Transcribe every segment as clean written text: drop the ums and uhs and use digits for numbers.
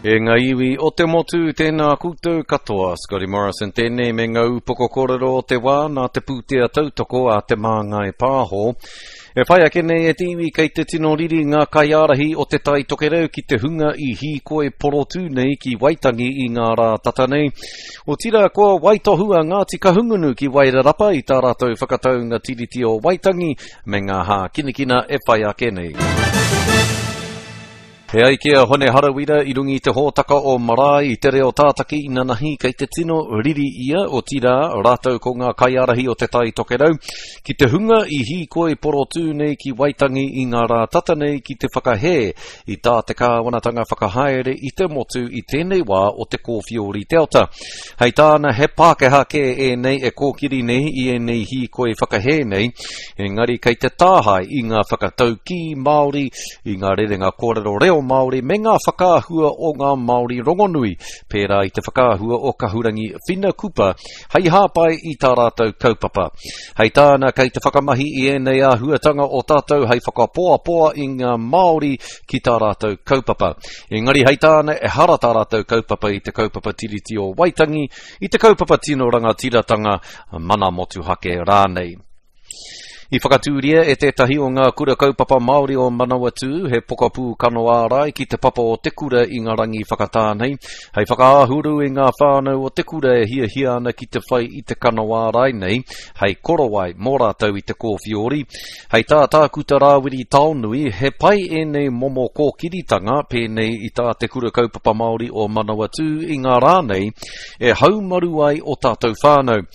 E ngā iwi o te motu, tēnā koutou katoa. Scotty Morrison tēnei me ngā upoko kōrero o te wā nā te pūtea tautoko a Te Māngai Pāho. E whai ake nei e te iwi kei te tino riri ngā kaiārahi o Te Tai Tokerau ki te hunga i hīkoi porotū nei ki Waitangi i ngā rā tata nei. Otirā kua waitohu a Ngāti Kahungunu ki Wairarapa i tā rātou whakataunga Tiriti o Waitangi me ngā hākinakina e whai ake nei. E ai ki a Hone Harawira i runga i te hōtaka o Marae i te reo tātaki inanahi kei te tino riri ia, otirā, rātou ko ngā kaiārahi o Te Tai Tokerau, ki te hunga i hīkoi porotū nei ki Waitangi i ngā rā tata nei ki te whakahē i tā te kāwanatanga whakahaere i te motu i tēnei wā o te kōwhiori Delta. Hei tāna he Pākehā kē ēnei e kōkiri nei i ēnei hīkoi whakahē nei, engari kei te tāhae i ngā whakataukī Māori, i ngā rerenga kōrero reo Māori me ngā whakaahua o ngā Māori rongonui, pērā i te whakaahua o Kahurangi Whina Kupa, hei hāpai i tā rātou kaupapa. Hei tāna, kei te whakamahi i ēnei āhuatanga o tātou hei whakapoapoa i ngā Māori ki tā rātou kaupapa. Engari hei tāna, ehara tā rātou kaupapa i te kaupapa Tiriti o Waitangi, i te kaupapa tino rangatiratanga, mana motuhake rānei. I whakatūria e tētahi o ngā kura kaupapa Māori o Manawatū he pokapū kano ārai ki te papa o te kura i ngā rangi whakatā nei, hei whakaāhuru i ngā whānau o te kura e hiahia ana ki te whai i te kano ārai nei hei korowai mō rātou i te kōwhiori. Hei tā Tākuta Rāwiri Taonui, he pai ēnei momo kōkiritanga pēnei i tā te Kura Kaupapa Māori o Manawatū i ngā rā nei e haumaru ai o tātou whānau.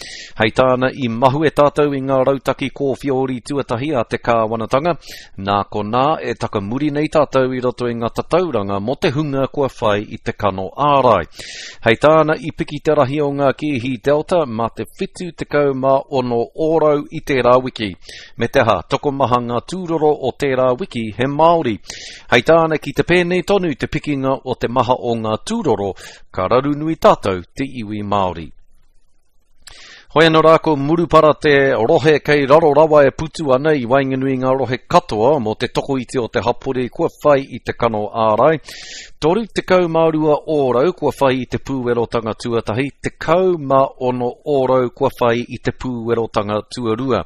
Hei tāna, i mahue tātou i ngā rautaki kōwhiori tuatahi a te kāwanatanga, nā konā e takamuri nei tātou i roto i ngā tatauranga mō te hunga kua whai i te kano ārai. Hei tāna, i piki te rahi o ngā kēhi Delta mā te 76 ōrau i tērā wiki. Me te aha, tokomaha ngā tūroro o tērā wiki he Māori. Hei tāna, ki te pēnei tonu te pikinga o te maha o ngā tūroro, ka raru nui tātou te iwi Māori. Hoi anō rā ko Murupara te rohe kei raro rawa e putu ana i waenganui i ngā rohe katoa mō te tokoiti o te hapori kua whai i te kano ārai. 32 ōrau kua whai i te pūwerotanga tuatahi, 16 ōrau kua whai i te pūwerotanga tuarua.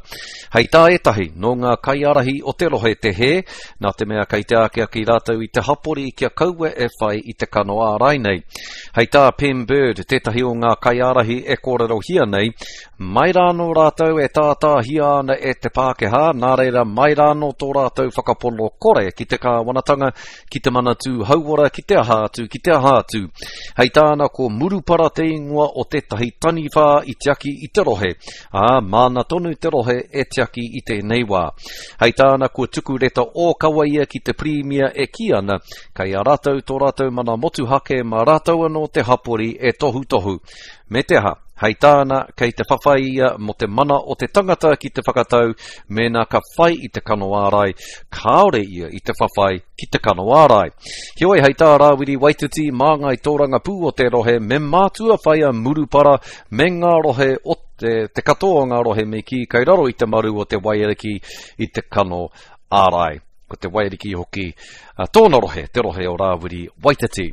Hei tā ētahi, nō ngā kaiārahi o te rohe te hē, nā te mea kei te akiaki rātou i te hapori kia kaua e whai i te kano ārai nei. Hei tā Pem Bird, tētahi o ngā kaiārahi e kōrerohia nei, mai rānō rātou e tātāhia ana e te Pākehā, nā reira mai rānō tō rātou whakapono kore ki te kāwanatanga, ki te Manatū Hauora, ki te aha atu, ki te aha atu. Hei tāna ko Murupara te ingoa o tētahi taniwha i tiaki i te rohe, ā, māna tonu te rohe e tiaki i tēnei wā. Hei tāna kua tuku reta ōkawa ia ki te Pirimia e kī ana, Kei a rātou tō rātou mana motuhake mā rātou anō te hapori e tohutohu. Me te aha, hei tāna, kei te whawhai ia mō te mana o te tangata ki te whakatau mēnā ka whai i te kano ārai, kāore ia i te whawhai ki te kano ārai. Heoi, hei tā Rāwiri Waititi, māngai tōrangapū o te rohe, me mātua whai a Murupara me ngā rohe o te, te katoa o ngā rohe me kī kei raro i te maru o te waiariki i te kano ārai. Ko te Waiariki hoki tōna rohe, te rohe o Rāwiri Waititi.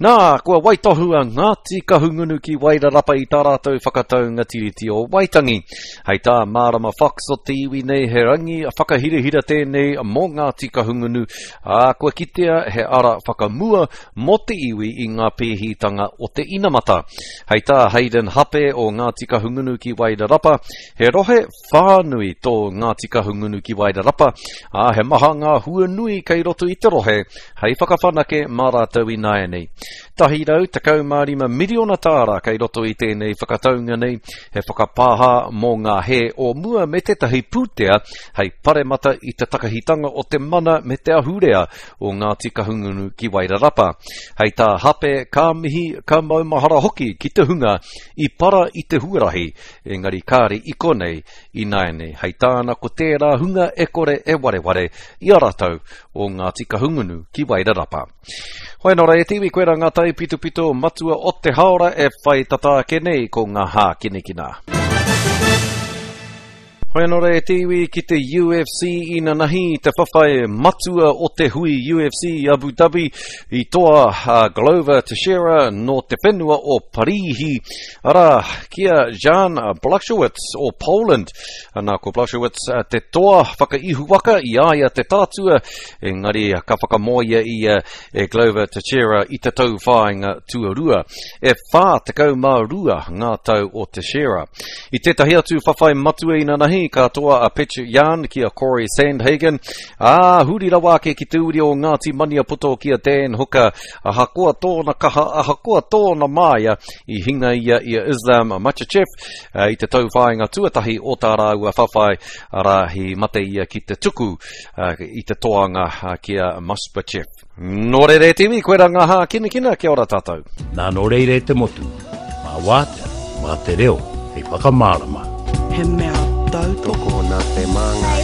Nā, kua waitohu a Ngāti Kahungunu ki Wairarapa i tā rātou whakataunga Tiriti o Waitangi. Hei tā Mārama Fox o te iwi nei, he rangi whakahirahira tēnei mō Ngāti Kahungunu, ā, kua kitea he ara whakamua mō te iwi i ngā pēhitanga o te inamata. Hei tā Hayden Hape o Ngāti Kahungunu ki Wairarapa, he rohe Whānui tō Ngāti Kahungunu ki Wairarapa, ā, he maha ngā hua nui kei roto i te rohe hei whakawhanake mā rātou ināianei. 115 miriona tāra kei roto i tēnei whakataunga nei, he whakapāha mō ngā hē o mua me tētahi pūtea hei paremata i te takahitanga o te mana me te ahurea o Ngāti Kahungunu ki Wairarapa. Hei tā Hape, ka mihi, ka maumahara hoki ki te hunga i para i te huarahi Engari kāre i konei ināianei. Hei tāna ko tērā hunga e kore e wareware i a rātou o Ngāti Kahungunu ki Wairarapa. Hoi anō rā e te iwi, koirā ngā taipitopito matua o te haora e whai tata ake nei ko ngā hākinakina. Hoi anō rā e te iwi ki te UFC inanahi, te whawhai matua o te hui UFC i Abu Dhabi, i toa a Glover Teixeira nō te whenua o Parīhi, arā, ki a Jan Blachowicz o Poland. Nā, ko Blachowicz te toa whakaihuwaka i a ia te tātua, engari ka whakamoea ia e Glover Teixeira i te tauwhāinga tuarua. E 42 ngā tau o Teixeira. I tētahi atu whawhai matua inanahi, ka toa a Petr Yan ki a Corey Sandhagen, ā, huri rawa ake ki te uri o Ngāti Maniapoto ki a Dan Hooker, ahakoa tōna kaha, ahakoa tōna māia, i hinga ia i a Islam Makhachev i te tauwhāinga tuatahi o tā rāua whawhai, arā, i mate ia ki te tuku i te toanga ki a Musbachev. Nō reira e te iwi, koirā ngā hākinakina, kia ora tātou. Nā nō reira e te motu, mā wātea, mā te reo hei whakamārama. He mea tautoko. Tokona te māngai.